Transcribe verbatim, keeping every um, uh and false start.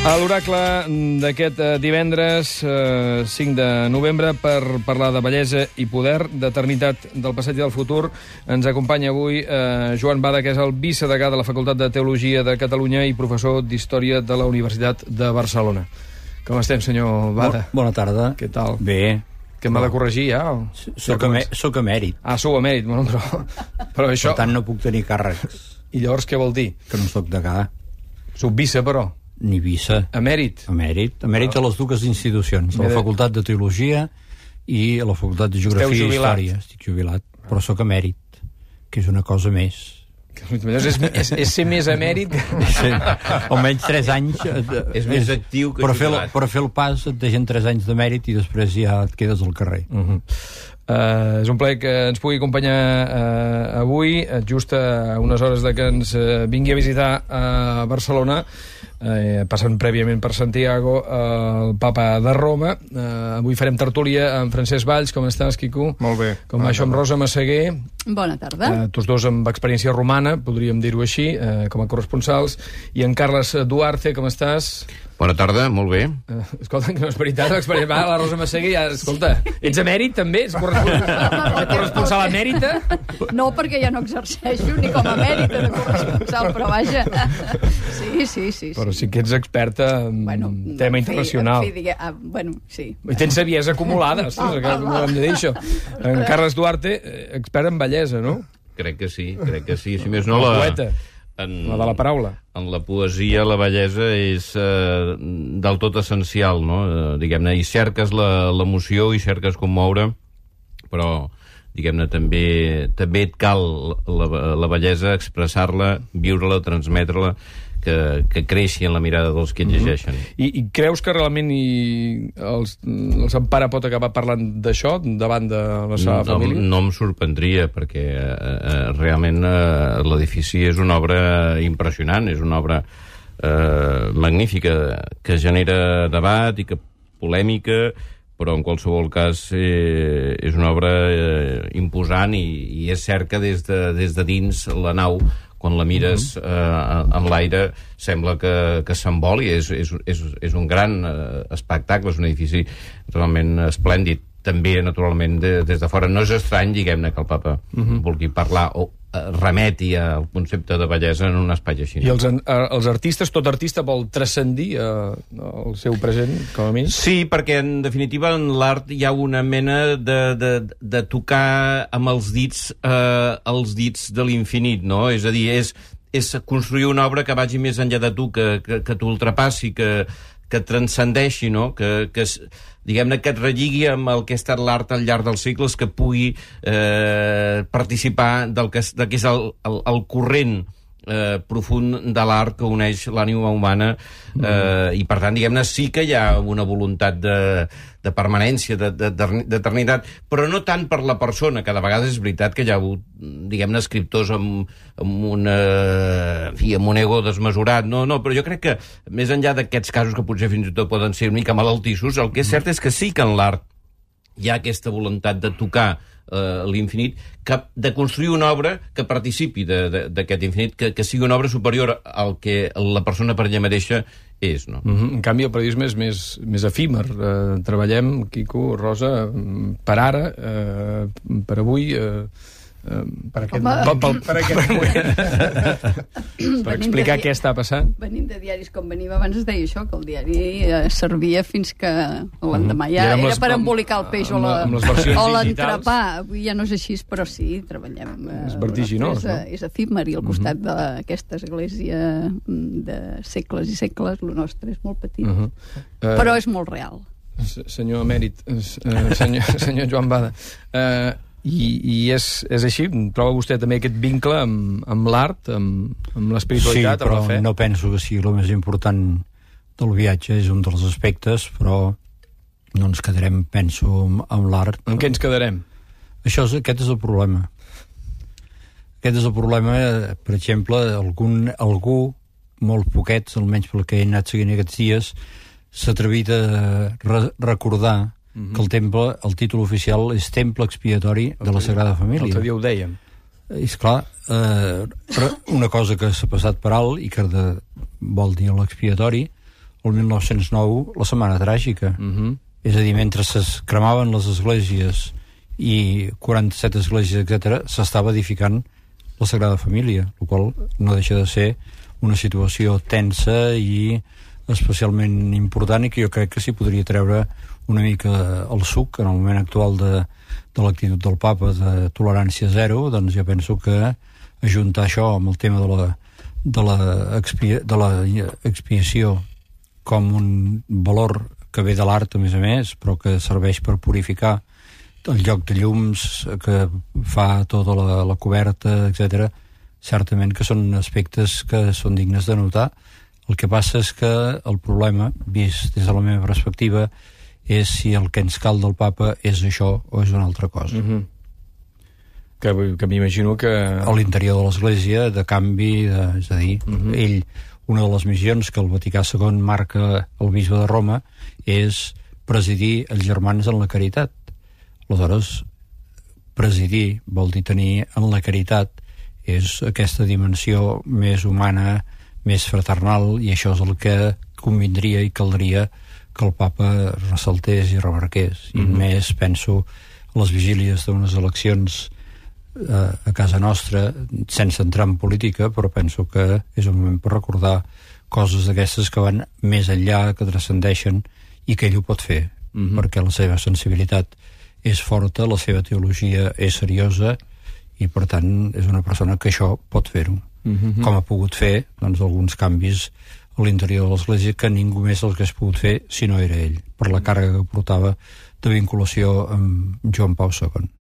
A l'oracle d'aquest divendres, eh, cinc de novembre, per parlar de bellesa i poder, d'eternitat del passat i del futur, ens acompanya avui eh, Joan Bada, que és el vicedegà de la Facultat de Teologia de Catalunya i professor d'Història de la Universitat de Barcelona. Com estem, senyor Bada? Bo, bona tarda. Què tal? Bé. Que m'ha de corregir, ja? O... Soc, emè soc emèrit. Ah, sou emèrit, bueno, però... però això... Per tant, no puc tenir càrrecs. I llavors què vol dir? Que no soc degà. Sou vice, però? Ni vice. Emèrit? Emèrit. Emèrit a les dues institucions, a la Facultat de Teologia i a la Facultat de Geografia i Història. Estic jubilat, però sóc emèrit, que és una cosa més. És, és, és ser més emèrit que... Sí, almenys tres anys... És més actiu que per fer, jubilat. Per fer el pas et deixen tres anys d'emèrit i després ja et quedes al carrer. Uh-huh. Uh, és un plaer que ens pugui acompanyar uh, avui, just a unes hores de que ens uh, vingui a visitar a Barcelona, uh, passant prèviament per Santiago, uh, el papa de Roma. Uh, avui farem tertúlia amb Francesc Valls. Com estàs, Quico? Molt bé. Com va això amb Rosa Massaguer? Bona tarda. Uh, tots dos amb experiència romana, podríem dir-ho així, uh, com a corresponsals. I en Carles Duarte, com estàs? Bona tarda, molt bé. Uh, escolta, que no és veritat, l'experiència... Va, la Rosa Massaguer, ja, escolta, ets emèrit, també? Ets corresponsal, corresponsal emèrita? No, perquè ja no exerceixo ni com a emèrita de corresponsal, però vaja. Sí, sí, sí. Però sí que ets experta en bueno, tema en fi, internacional. En fi, digue, ah, bueno, sí. I tens saviesa acumulada, ostres, que no hem de dir això. En Carles Duarte, expert en bellesa, no? Crec que sí, crec que sí. Si més no, la la... poeta. En, la de la paraula. En la poesia, la bellesa és eh, del tot essencial, no? Eh, diguem-ne, i cerques l'emoció i cerques commoure, però, diguem-ne, també, també et cal la, la bellesa, expressar-la, viure-la, transmetre-la, que, que creixi en la mirada dels que et llegeixen. Mm-hmm. I, I creus que realment i els, el Sant Pare pot acabar parlant d'això davant de la seva no, família? No em sorprendria, perquè eh, realment eh, l'edifici és una obra impressionant, és una obra eh, magnífica, que genera debat i que polèmica, però en qualsevol cas eh, és una obra eh, imposant i, i és cert que des de, des de dins la nau, quan la mires eh, en l'aire, sembla que, que s'emboli. És, és, és, és un gran eh, espectacle, és un edifici realment esplèndid. També, naturalment, de, des de fora. No és estrany, diguem-ne, que el papa uh-huh. vulgui parlar o eh, remeti al concepte de bellesa en un espai així. I els, els artistes, tot artista vol transcendir eh, el seu present, com a mínim? Sí, perquè, en definitiva, en l'art hi ha una mena de, de, de tocar amb els dits eh, els dits de l'infinit, no? És a dir, és, és construir una obra que vagi més enllà de tu, que, que, que t'ultrapassi, que, que transcendeixi, no? Que, que diguem-ne, que et relligui amb el que ha estat l'art al llarg dels segles, que pugui eh, participar del que, del que és el, el, el corrent eh, profund de l'art que uneix l'ànima humana eh, mm. i, per tant, diguem-ne, sí que hi ha una voluntat de, de permanència, d'eternitat, però no tant per la persona, que de vegades és veritat que hi ha hagut, diguem-ne, escriptors amb, amb, una, en fi, amb un ego desmesurat, no, no, però jo crec que, més enllà d'aquests casos que potser fins i tot poden ser una mica malaltissos, el que és cert és que sí que en l'art hi ha aquesta voluntat de tocar eh, l'infinit, de construir una obra que participi d'aquest infinit, que, que sigui una obra superior al que la persona per ella mateixa és, no? Mm-hmm. En canvi, el periodisme és més, més efímer. Eh, treballem, Quico, Rosa, per ara, eh, per avui... Eh, per aquest moment. Per, per, aquest moment. Per explicar què està passant. Venint de diaris com venim abans es deia això, que el diari eh, servia fins que l'endemà ja era per embolicar el peix o l'entrepà. Avui ja no és així, però sí, treballem. Eh, és vertiginós, és, no? És efímer, i al costat uh-huh. d'aquesta església de segles i segles, el nostre és molt petit, uh-huh. uh, però és molt real. Senyor emèrit, uh, senyor, senyor Joan Bada, eh... Uh, I, i és, és així? Troba vostè també aquest vincle amb, amb l'art, amb, amb l'espiritualitat, sí, amb la fe? Sí, però no penso que sigui el més important del viatge, és un dels aspectes, però no ens quedarem, penso, amb, amb l'art. En què ens quedarem? Això és, aquest és el problema. Aquest és el problema, per exemple, algun, algú, molt poquets, almenys pel que he anat seguint aquests dies, s'ha atrevit a re recordar Mm-hmm. que el temple, el títol oficial és Temple Expiatori de la Sagrada Família. L'altre dia ho dèiem. És clar, eh, una cosa que s'ha passat per alt i que de, vol dir l'expiatori, el mil nou-cents nou, la Setmana Tràgica. Uh-huh. És a dir, mentre es cremaven les esglésies i quaranta-set esglésies, etcètera, s'estava edificant la Sagrada Família, el qual no deixa de ser una situació tensa i especialment important, i que jo crec que s'hi podria treure una mica el suc en el moment actual de, de l'actitud del papa de tolerància zero. Doncs jo penso que ajuntar això amb el tema de la, de la, expia, de la expiació com un valor que ve de l'art, a més a més, però que serveix per purificar el lloc de llums que fa tota la, la coberta, etcètera, certament que són aspectes que són dignes de notar. El que passa és que el problema, vist des de la meva perspectiva, és si el que ens cal del papa és això o és una altra cosa. Uh-huh. Que, que m'imagino que... A l'interior de l'Església, de canvi, de, és a dir, uh-huh. ell, una de les missions que el Vaticà segon marca el bisbe de Roma és presidir els germans en la caritat. Aleshores, presidir vol dir tenir en la caritat, és aquesta dimensió més humana, més fraternal, i això és el que convindria i caldria que el papa ressaltés i remarqués. I mm-hmm. més, penso, a les vigílies d'unes eleccions eh, a casa nostra, sense entrar en política, però penso que és un moment per recordar coses d'aquestes que van més enllà, que transcendeixen, i que ell ho pot fer, mm-hmm. perquè la seva sensibilitat és forta, la seva teologia és seriosa, i per tant és una persona que això pot fer-ho. Mm-hmm. Com ha pogut fer doncs, alguns canvis a l'interior de l'Església que ningú més els hagués pogut fer si no era ell, per la càrrega que portava de vinculació amb Joan Pau segon.